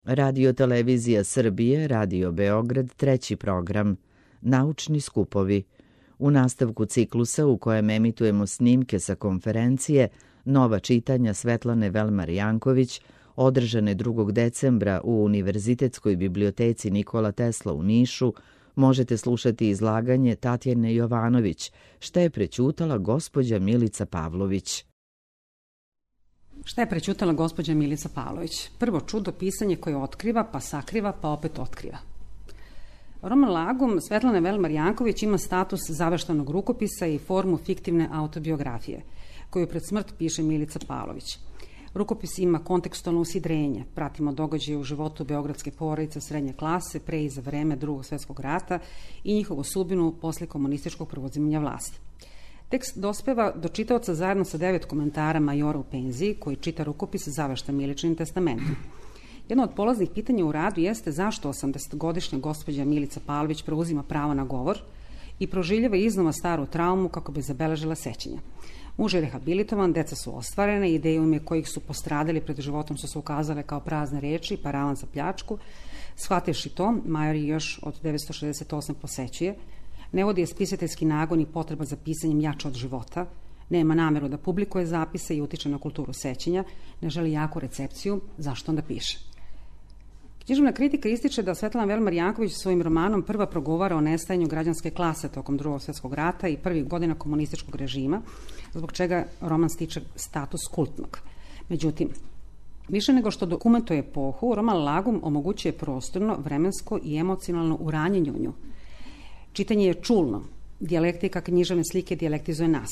Radio Televizija Srbije, Radio Beograd, treći program, Naučni skupovi. U nastavku ciklusa u kojem emitujemo snimke sa konferencije Nova čitanja Svetlane Velmar Janković, održane 2. decembra u Univerzitetskoj biblioteci Nikola Tesla u Nišu, možete slušati izlaganje Tatjane Jovanović, šta je prećutala gospođa Milica Pavlović. Šta je prećutala gospođa Milica Pavlović? Prvo čudo pisanje koje otkriva, pa sakriva, pa opet otkriva. Roman Lagum Svetlane Velmar Janković ima status zaveštanog rukopisa i formu fiktivne autobiografije, koju pred smrt piše Milica Pavlović. Rukopis ima kontekstualno usidrenje, pratimo događaje u životu beogradske porodice srednje klase pre i za vreme Drugog svjetskog rata i njihovu sudbinu posle komunističkog preuzimanja vlasti. Tekst dospeva do čitaoca zajedno sa 9 komentara majora u penziji, koji čita rukopis zavešta Miličinim testamentom. Jedno od polaznih pitanja u radu jeste zašto 80-godišnja gospođa Milica Pavlović preuzima pravo na govor i proživljava iznova staru traumu kako bi zabeležila sećanja. Muž je rehabilitovan, deca su ostvarene, ideje u ime kojih su postradali pred životom su se ukazale kao prazne reči, paravan za pljačku. Shvativši to, major je još od 1968 posećuje, ne vodi je spisateljski nagon i potreba za pisanjem jača od života, nema nameru da publikuje zapise i utiče na kulturu sećanja, ne želi jaku recepciju, zašto onda piše? Književna kritika ističe da Svetlana Velmar Janković svojim romanom prva progovara o nestajanju građanske klase tokom Drugog svjetskog rata i prvih godina komunističkog režima, zbog čega roman stiče status kultnog. Međutim, više nego što dokumentuje epohu, roman Lagum omogućuje prostorno, vremensko i emocionalno uranjenje u nju. Čitanje je čulno, dijalektika književne slike dijalektizuje nas.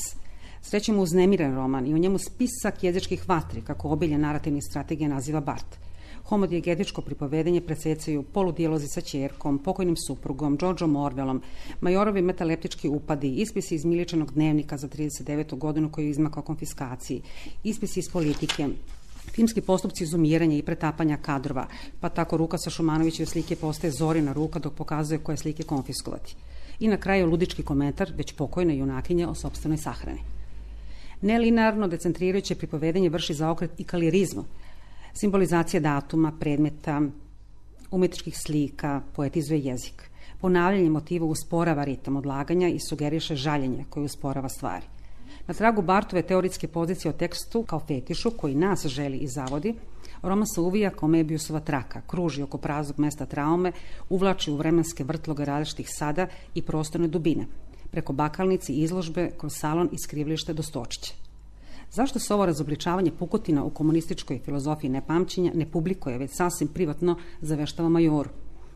Srećemo uznemiren roman i u njemu spisak jezičkih vatri, kako obilje narativnih strategija naziva Bart. Homodijegetičko pripovedenje presecaju poludijalozi sa ćerkom, pokojnim suprugom, Georgeom Orwellom, majorovi metaleptički upadi, ispisi iz Miličinog dnevnika za 39. godinu koji je izmakao konfiskaciji, ispisi iz politike, filmski postupci izumiranja i pretapanja kadrova, pa tako ruka sa Šumanovićeve slike postaje Zorina ruka dok pokazuje koje slike konfiskovati. I na kraju ludički komentar već pokojne junakinje o sopstvenoj sahrani. Nelinearno decentrirajuće pripovedenje vrši zaokret i kalirizmu, simbolizacija datuma, predmeta, umetničkih slika, poetizuje jezik. Ponavljanje motiva usporava ritam odlaganja i sugeriše žaljenje koje usporava stvari. Na tragu Bartove teoretske pozicije o tekstu kao fetišu koji nas želi i zavodi, roman se uvija kao Mebijusova traka, kruži oko praznog mesta traume, uvlači u vremenske vrtloge različitih sada i prostorne dubine, preko bakalnici i izložbe kroz salon i skrivilište do Stočića. Zašto se ovo razobličavanje pukotina u komunističkoj filozofiji nepamćenja ne publikuje, već sasvim privatno zaveštava majoru?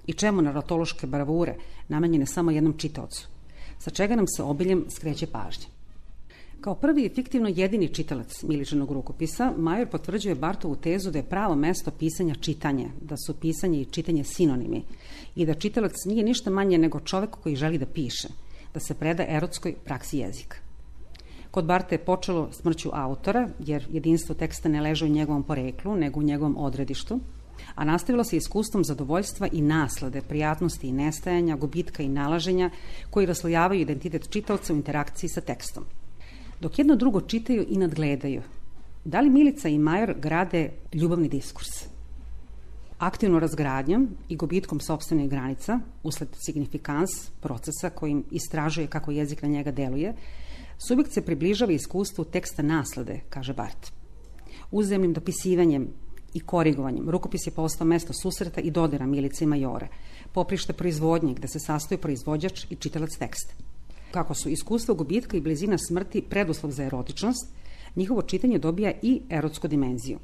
I čemu naratološke bravure namenjene samo jednom čitaocu? Sa čega nam se obiljem skreće pažnje? Kao prvi i fiktivno jedini čitalac Miličinog rukopisa, major potvrđuje Bartovu tezu da je pravo mesto pisanja čitanje, da su pisanje i čitanje sinonimi i da čitalac nije ništa manje nego čovek koji želi da piše, da se preda erotskoj praksi jezika. Kod Barta je počelo smrću autora, jer jedinstvo teksta ne leže u njegovom poreklu, nego u njegovom odredištu, a nastavilo se iskustvom zadovoljstva i naslade, prijatnosti i nestajanja, gubitka i nalaženja, koji raslojavaju identitet čitaoca u interakciji sa tekstom. Dok jedno drugo čitaju i nadgledaju, da li Milica i major grade ljubavni diskurs? Aktivno razgradnjom i gubitkom sopstvenih granica, usled signifikans procesa kojim istražuje kako jezik na njega deluje, subjekt se približava iskustvu teksta naslade, kaže Bart. Uzajamnim dopisivanjem i korigovanjem rukopis je postao mesto susreta i dodira Milice i majora, poprište proizvodnje gde se sastoji proizvođač i čitalac teksta. Kako su iskustvo gubitka i blizina smrti preduslov za erotičnost, njihovo čitanje dobija i erotsku dimenziju.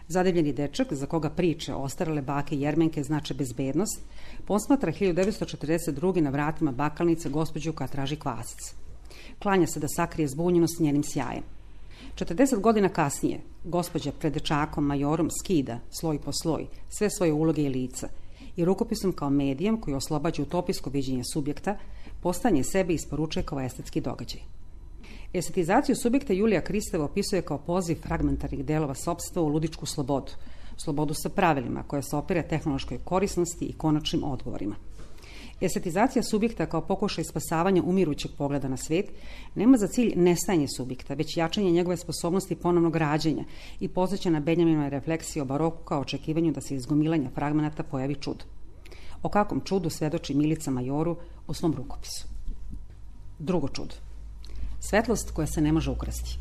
Zadebljeni dečak, za koga priče ostarele bake Jermenke znače bezbednost, posmatra 1942. na vratima bakalnice gospođu koja traži kvasic. Klanja se da sakrije zbunjenost njenim sjajem. 40 godina kasnije, gospođa pred dečakom majorom skida, sloj po sloj, sve svoje uloge i lica i rukopisom kao medijem koji oslobađa utopijsko viđenje subjekta, postanje sebe isporučuje kao estetski događaj. Estetizaciju subjekta Julija Kristeva opisuje kao poziv fragmentarnih delova sopstva u ludičku slobodu, slobodu sa pravilima koja se opire tehnološkoj korisnosti i konačnim odgovorima. Estetizacija subjekta kao pokušaj spasavanja umirućeg pogleda na svijet nema za cilj nestajanje subjekta, već jačanje njegove sposobnosti ponovnog rađenja i podsjeća na Benjaminove refleksije o baroku kao očekivanju da se iz gomilanja fragmenata pojavi čudo. O kakvom čudu svedoči Milica Majoru u svom rukopisu. Drugo čudo. Svetlost koja se ne može ukrasti.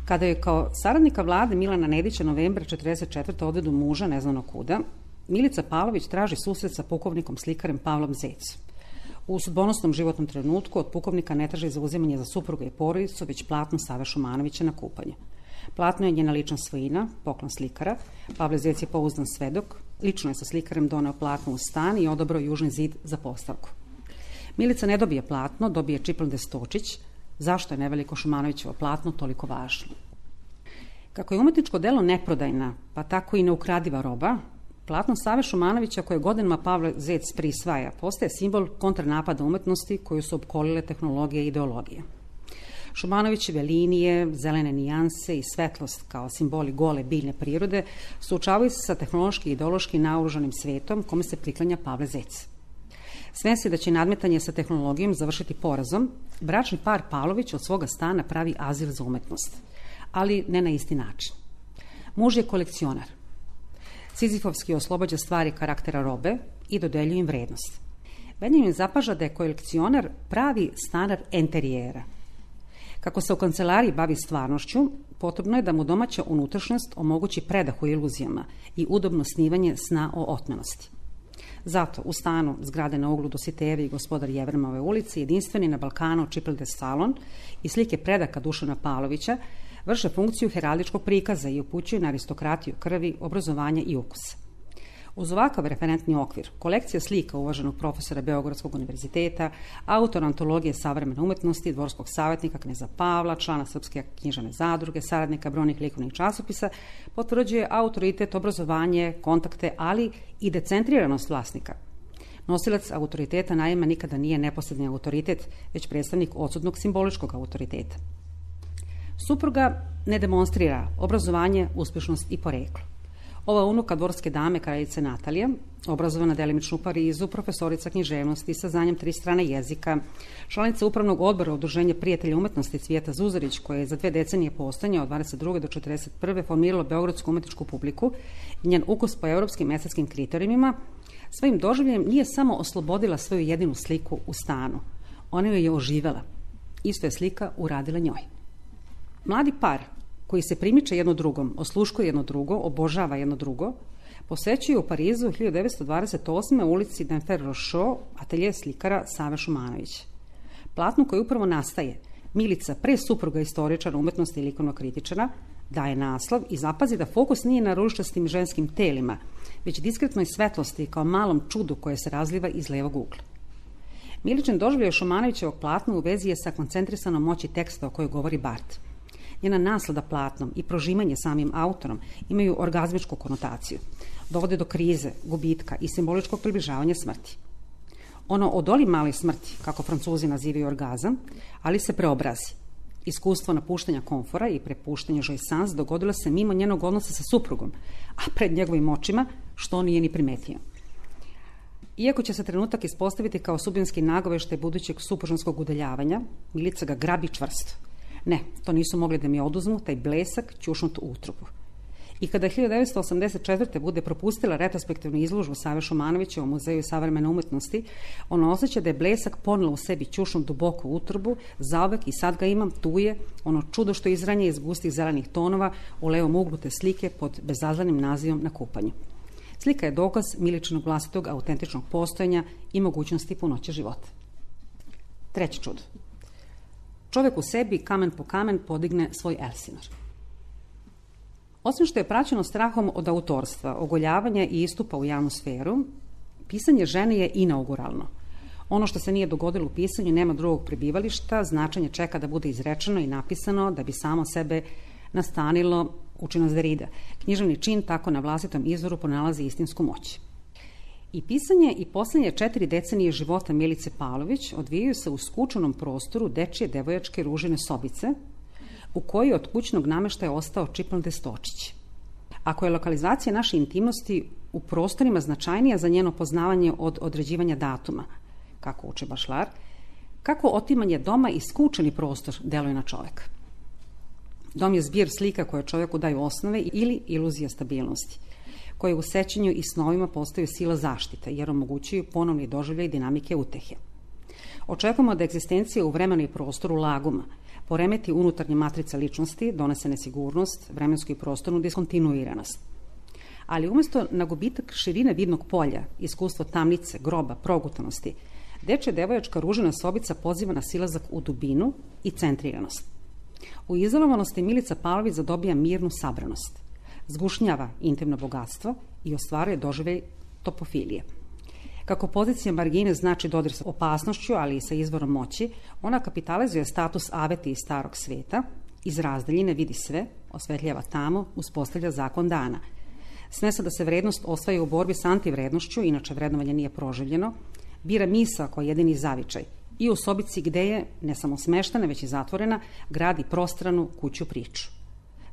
Kada je kao saradnika vlade Milana Nedića novembra 1944. odvedu muža neznano kuda, Milica Pavlović traži susret sa pukovnikom slikarem Pavlom Zecom. U sudbonosnom životnom trenutku od pukovnika ne traži zauzimanje za supruga i porodicu, već platno Save Šumanovića na kupanje. Platno je njena lična svojina, poklon slikara. Pavle Zec je pouzdan svedok, lično je sa slikarem doneo platno u stan i odabrao južni zid za postavku. Milica ne dobije platno, dobije Čiplde Stočić. Zašto je neveliko Šumanovićevo platno toliko važno? Kako je umetničko delo neprodajna, pa tako i neukradiva roba, platno Save Šumanovića koje godinama Pavle Zec prisvaja postaje simbol kontranapada umetnosti koju su opkolile tehnologije i ideologije. Šumanovićeve linije, zelene nijanse i svetlost kao simboli gole biljne prirode suočavaju se sa tehnološki i ideološki naoružanim svetom kome se priklanja Pavle Zec. Svesni da će nadmetanje sa tehnologijom završiti porazom, bračni par Pavlović od svoga stana pravi azil za umetnost, ali ne na isti način. Muž je kolekcionar. Sizifovski oslobađa stvari karaktera robe i dodeljuje im vrednost. Benjamin zapaža da je kolekcionar pravi stanar enterijera. Kako se u kancelariji bavi stvarnošću, potrebno je da mu domaća unutrašnjost omogući predah u iluzijama i udobno snivanje sna o otmenosti. Zato u stanu zgrade na uglu Dositejevi i gospodar Jevremove ulici, jedinstveni na Balkanu Čiplde salon i slike predaka Dušana Pavlovića vrše funkciju heraldičkog prikaza i upućuju na aristokratiju krvi, obrazovanja i ukusa. Uz ovakav referentni okvir, kolekcija slika uvaženog profesora Beogradskog univerziteta, autor antologije savremene umetnosti, dvorskog savjetnika kneza Pavla, člana Srpske književne zadruge, saradnika brojnih likovnih časopisa, potvrđuje autoritet, obrazovanje, kontakte, ali i decentriranost vlasnika. Nosilac autoriteta naime nikada nije neposredni autoritet, već predstavnik odsutnog simboličkog autoriteta. Supruga ne demonstrira obrazovanje, uspješnost i poreklo. Ova unuka dvorske dame, kraljice Natalija, obrazovana delimično u Parizu, profesorica književnosti sa znanjem 3 strane jezika, članica upravnog odbora Udruženja prijatelja umetnosti Cvijeta Zuzarić, koja je za 2 decenije postojanja od 22. do 41. formirala beogradsku umetničku publiku i njen ukus po europskim estetskim kriterijima, svojim doživljenjem nije samo oslobodila svoju jedinu sliku u stanu. Ona joj je oživela. Isto je slika uradila njoj. Mladi par koji se primiče jedno drugom, osluškuje jedno drugo, obožava jedno drugo, posećuje u Parizu 1928. ulici Denfer Rochot atelje slikara Save Šumanovića. Platno koje upravo nastaje, Milica pre supruga istoričara umetnosti i likovnog kritičara, daje naslov i zapazi da fokus nije na ružičastim ženskim telima, već diskretnoj svetlosti kao malom čudu koje se razliva iz levog ugla. Miličin doživljaj Šumanovićevog platna u vezi je sa koncentrisanom moći teksta o kojoj govori Barth. Njena naslada platnom i prožimanje samim autorom imaju orgazmičku konotaciju. Dovode do krize, gubitka i simboličkog približavanja smrti. Ono odoli male smrti, kako Francuzi nazivaju orgazam, ali se preobrazi. Iskustvo napuštanja komfora i prepuštanja jouissance dogodilo se mimo njenog odnosa sa suprugom, a pred njegovim očima, što on nije ni primetio. Iako će se trenutak ispostaviti kao sudbinski nagoveštaj budućeg supružanskog udaljavanja, Milica ga grabi čvrsto. Ne, to nisu mogli da mi oduzmu, taj blesak ćušnut u utrobu. I kada 1984. bude propustila retrospektivnu izložbu Save Šumanovića u Muzeju savremene umetnosti, ona osjeća da je blesak ponela u sebi ćušnut duboko u utrobu, zauvek i sad ga imam, tu je, ono čudo što izranje iz gustih zelenih tonova u levom uglu te slike pod bezazlenim nazivom Na kupanju. Slika je dokaz Miličinog vlastitog autentičnog postojanja i mogućnosti punoće života. Treće čudo. Čovjek u sebi kamen po kamen podigne svoj Elsinor. Osim što je praćeno strahom od autorstva, ogoljavanja i istupa u javnu sferu, pisanje žene je inauguralno. Ono što se nije dogodilo u pisanju nema drugog prebivališta, značenje čeka da bude izrečeno i napisano da bi samo sebe nastanilo učinost Derrida. Književni čin tako na vlastitom izvoru pronalazi istinsku moć. I pisanje i posljednje 4 decenije života Milice Pavlović odvijaju se u skučenom prostoru dečije devojačke ružine sobice, u kojoj od kućnog nameštaja ostao Čiplde Stočić. Ako je lokalizacija naše intimnosti u prostorima značajnija za njeno poznavanje od određivanja datuma, kako uče Bašlar, kako otimanje doma i skučeni prostor deluje na čoveka. Dom je zbir slika koje čoveku daju osnove ili iluzija stabilnosti, koje u sećanju i snovima postaju sila zaštite, jer omogućuju ponovni doživljaj dinamike utehe. Očekujemo da egzistencija u vremenu i prostoru laguma poremeti unutarnje matrice ličnosti, donese nesigurnost, vremensku i prostornu diskontinuiranost. Ali umjesto na gubitak širine vidnog polja, iskustvo tamnice, groba, progutanosti, dečja devojačka ružina sobica poziva na silazak u dubinu i centriranost. U izolovanosti Milica Pavlović zadobija mirnu sabranost, zgušnjava intimno bogatstvo i ostvaruje doživljaj topofilije. Kako pozicija margine znači dodir sa opasnošću, ali i sa izvorom moći, ona kapitalizuje status aveti iz starog sveta, iz razdaljine vidi sve, osvetljava tamo, uspostavlja zakon dana. Smesa da se vrednost osvaja u borbi s antivrednošću, inače vrednovanje nije proživljeno, bira misa kao jedini zavičaj i u sobici gde je, ne samo smeštena, već i zatvorena, gradi prostranu kuću priču.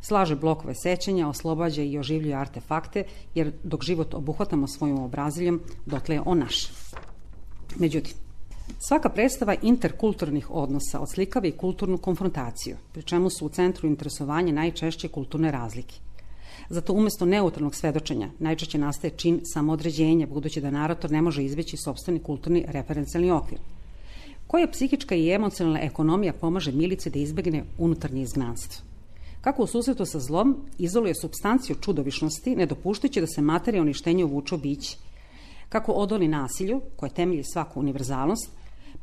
Slaže blokove sećanja, oslobađa i oživljuje artefakte, jer dok život obuhvatamo svojim obraziljom, dotle je on naš. Međutim, svaka predstava interkulturnih odnosa odslikava i kulturnu konfrontaciju, pri čemu su u centru interesovanja najčešće kulturne razlike. Zato umjesto neutralnog svedočenja najčešće nastaje čin samoodređenja, budući da narator ne može izbeći sopstveni kulturni referencijalni okvir. Koja psihička i emocionalna ekonomija pomaže Milici da izbegne unutarnje izgnanstvo? Kako u susretu sa zlom izoluje supstanciju čudovišnosti, ne dopuštajući da se materija uništenja uvuče u biće? Kako odoli nasilju, koje temelji svaku univerzalnost,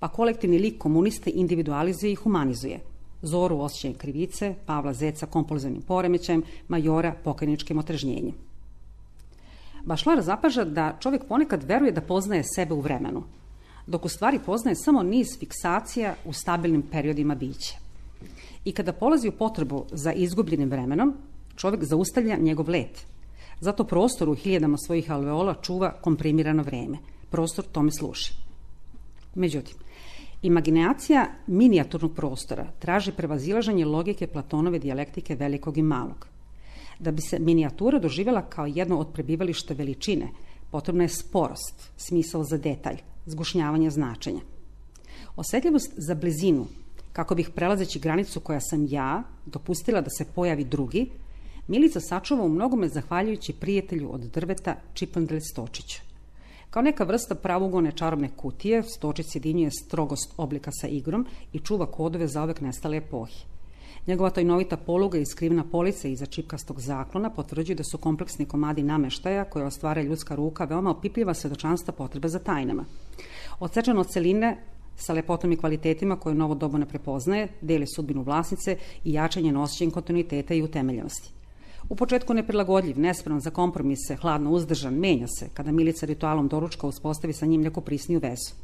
pa kolektivni lik komuniste individualizuje i humanizuje? Zoru osjećajem krivice, Pavla Zeca kompulzivnim poremećajem, Majora pokajničkim otrežnjenjem. Bašlar zapaža da čovjek ponekad veruje da poznaje sebe u vremenu, dok u stvari poznaje samo niz fiksacija u stabilnim periodima bića. I kada polazi u potrebu za izgubljenim vremenom, čovjek zaustavlja njegov let. Zato prostor u hiljadama svojih alveola čuva komprimirano vreme. Prostor tome služi. Međutim, imaginacija minijaturnog prostora traži prevazilaženje logike Platonove dijalektike velikog i malog. Da bi se minijatura doživjela kao jedno od prebivališta veličine, potrebna je sporost, smisao za detalj, zgušnjavanje značenja. Osjetljivost za blizinu, kako bih prelazeći granicu koja sam ja dopustila da se pojavi drugi, Milica sačuva u mnogome zahvaljujući prijatelju od drveta Čipandel Stočiću. Kao neka vrsta pravougodne čarobne kutije, Stočić sjedinjuje strogost oblika sa igrom i čuva kodove za uvek nestale epohe. Njegova tajnovita poluga i skrivna polica iza čipkastog zaklona potvrđuju da su kompleksni komadi nameštaja koje ostvara ljudska ruka veoma opipljiva svedočanstva potrebe za tajnama. Odsečeno od celine sa lepotom i kvalitetima koje novo doba ne prepoznaje, deli sudbinu vlasnice i jačanje osjećajem kontinuiteta i utemeljenosti. U početku neprilagodljiv, nespreman za kompromise, hladno uzdržan, menja se kada Milica ritualom doručka uspostavi sa njim neku prisniju vezu.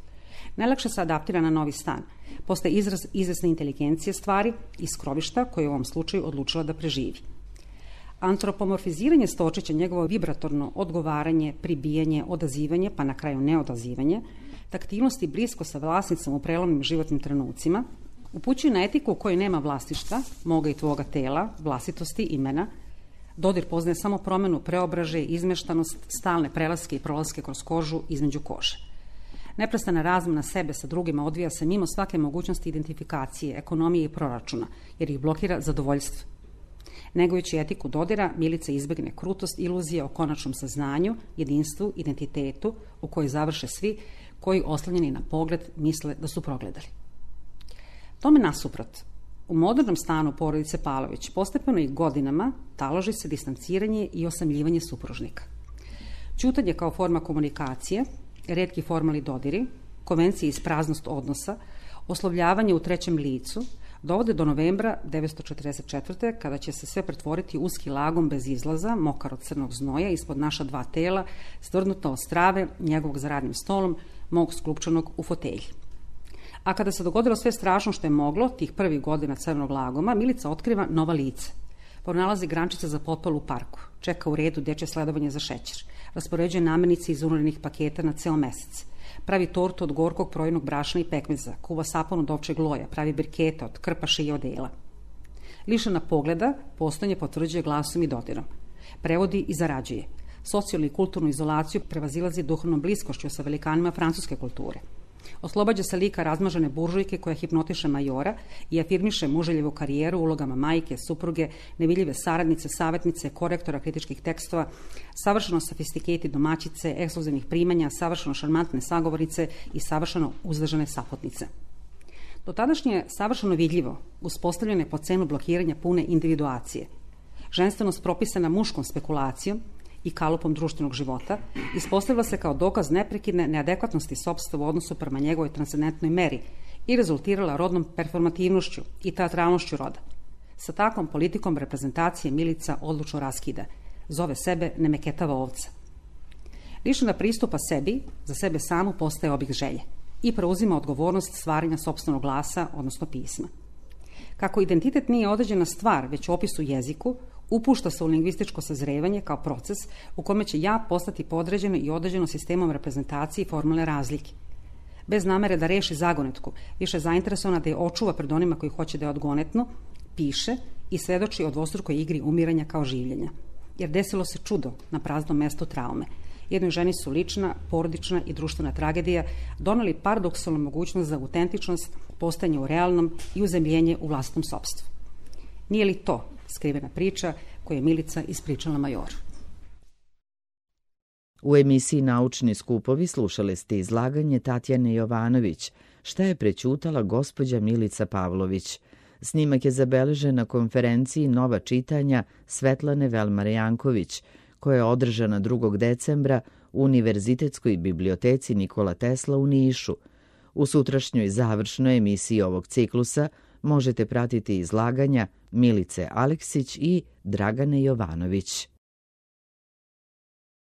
Najlakše se adaptira na novi stan. Postaje izraz izvesne inteligencije stvari i skrovišta koje u ovom slučaju odlučila da preživi. Antropomorfiziranje Stočića, njegovo vibratorno odgovaranje, pribijanje, odazivanje, pa na kraju neodazivanje, taktilnost i blisko sa vlasnicom u prelomnim životnim trenucima, upućuju na etiku u kojoj nema vlasništva, moga i tvoga tela, vlastitosti, imena. Dodir poznaje samo promenu, preobražaj, izmeštanost, stalne prelaske i prolaske kroz kožu između kože. Neprestana razmena sebe sa drugima odvija se mimo svake mogućnosti identifikacije, ekonomije i proračuna, jer ih blokira zadovoljstvo. Negujući etiku dodira, Milica izbegne krutost iluzije o konačnom saznanju, jedinstvu, identitetu u kojoj završe svi koji oslanjeni na pogled misle da su progledali. Tome nasuprot, u modernom stanu porodice Pavlović postepeno i godinama taloži se distanciranje i osamljivanje supružnika. Ćutanje kao forma komunikacije, retki formalni dodiri, konvencije iz praznost odnosa, oslovljavanje u trećem licu, dovode do novembra 1944. kada će se sve pretvoriti u uski lagom bez izlaza, mokar od crnog znoja, ispod naša dva tela, stvrdnuta od strave, njegovog za radnim stolom, mog sklupčanog u fotelji. A kada se dogodilo sve strašno što je moglo, tih prvih godina crnog lagoma, Milica otkriva nova lice. Pronalazi grančice za potpalu u parku, čeka u redu dečje sledovanje za šećer, raspoređuje namirnice iz unurenih paketa na ceo mesec, pravi tortu od gorkog projenog brašna i pekmeza, kuva sapun od ovčeg loja, pravi brikete od krpaše i odela. Lišena pogleda, postojanje potvrđuje glasom i dodirom. Prevodi i zarađuje. Socijalnu i kulturnu izolaciju prevazilazi duhovnom bliskošću sa velikanima francuske kulture. Oslobađa se lika razmažene buržujke koja hipnotiše majora i afirmiše muželjevu karijeru ulogama majke, supruge, nevidljive saradnice, savjetnice, korektora kritičkih tekstova, savršeno sofisticate domaćice, ekskluzivnih primanja, savršeno šarmantne sagovornice i savršeno uzdržane saputnice. Do tadašnje je savršeno vidljivo, uspostavljene po cenu blokiranja pune individuacije. Ženstvenost propisana muškom spekulacijom i kalupom društvenog života, ispostavila se kao dokaz neprekidne neadekvatnosti sopstva u odnosu prema njegovoj transcendentnoj meri i rezultirala rodnom performativnošću i teatralnošću roda. Sa takvom politikom reprezentacije Milica odlučno raskida. Zove sebe nemeketava ovca. Lišena pristupa sebi, za sebe samu postaje objekt želje i preuzima odgovornost stvaranja sopstvenog glasa, odnosno pisma. Kako identitet nije određena stvar, već opis u jeziku, upušta se u lingvističko sazrevanje kao proces u kome će ja postati podređeno i određeno sistemom reprezentacije i formalne razlike. Bez namere da reši zagonetku, više zainteresovana da je očuva pred onima koji hoće da je odgonetnu, piše i svedoči o dvostrukoj igri umiranja kao življenja. Jer desilo se čudo na praznom mestu traume. Jednoj ženi su lična, porodična i društvena tragedija doneli paradoksalnu mogućnost za autentičnost, postajanje u realnom i uzemljenje u vlastnom sopstvu. Nije li to skrivena priča koju je Milica ispričala majoru? U emisiji Naučni skupovi slušali ste izlaganje Tatjane Jovanović Šta je prećutala gospođa Milica Pavlović. Snimak je zabeležen na konferenciji Nova čitanja Svetlane Velmar Janković, koja je održana 2. decembra u Univerzitetskoj biblioteci Nikola Tesla u Nišu. U sutrašnjoj završnoj emisiji ovog ciklusa možete pratiti izlaganja Milice Aleksić i Dragane Jovanović.